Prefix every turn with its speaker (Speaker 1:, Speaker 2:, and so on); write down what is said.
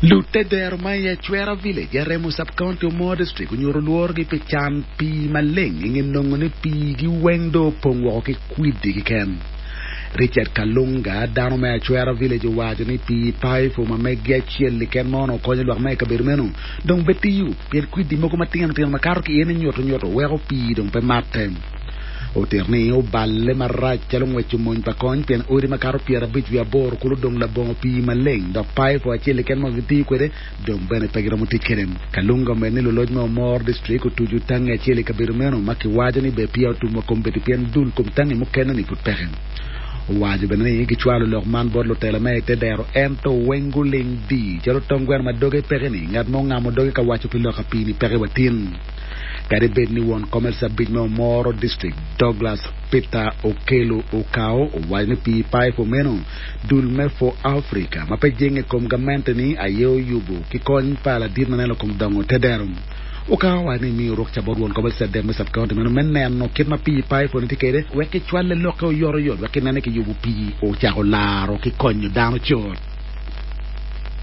Speaker 1: Lutedero ma i Acwera Village, Aremo Sub-County, Omoro District onyuto lworogi pi can pii maleng i nge nongo ni piigi weng dong opong woko ki kwidi keken. Richard Kalunga, dano me Acwera Village owaco ni pii paipo ma megi acel keken ma onongo konyo lwak ma i kabedo meno dong pe tiyo pien kwidi mogo matino tino ma kato ki iye ni nyuto nyuto weko pii dong pe matte. Otito ni oballe marac calo ngweco mony pa kony pien odi makato 58 kulu dong labongo pii maleng dok paipo acel keken ma gitiyo kwede dong bene pe giromo tic kwede. Kalunga omedo ni luloc me Omoro District otuco tangi acel i kabedo meno ma kiwaco ni ber peya otum wa kombeddi pien dul kom tangi mukene-ni pud peke. Owaco bene ni gicwalo lok man bot lutela me i te dero ento weng guling dii calo tong gweno ma doge peke-ni, ngat mo ongamo doge ka waco pi lok apii-ni peke wa tin. Kadi bed ni won kom LC abic me Omoro District, Douglas Peter Okello Okao owaco ni pii paipo meno dul me For Africa ma pe jenge i kom gamente-ni aye oyubo ki kony pa ladit ma neno kom dongo te dero. Okao owaco ni emiyo rukca bot won kom LC adek me sub-county meno me neno kit ma pii paipo-ni tye kwede wek kicwale lokke oyotoyot wek kinen ni kiyubo pii ocako laro ki konyo dano cut.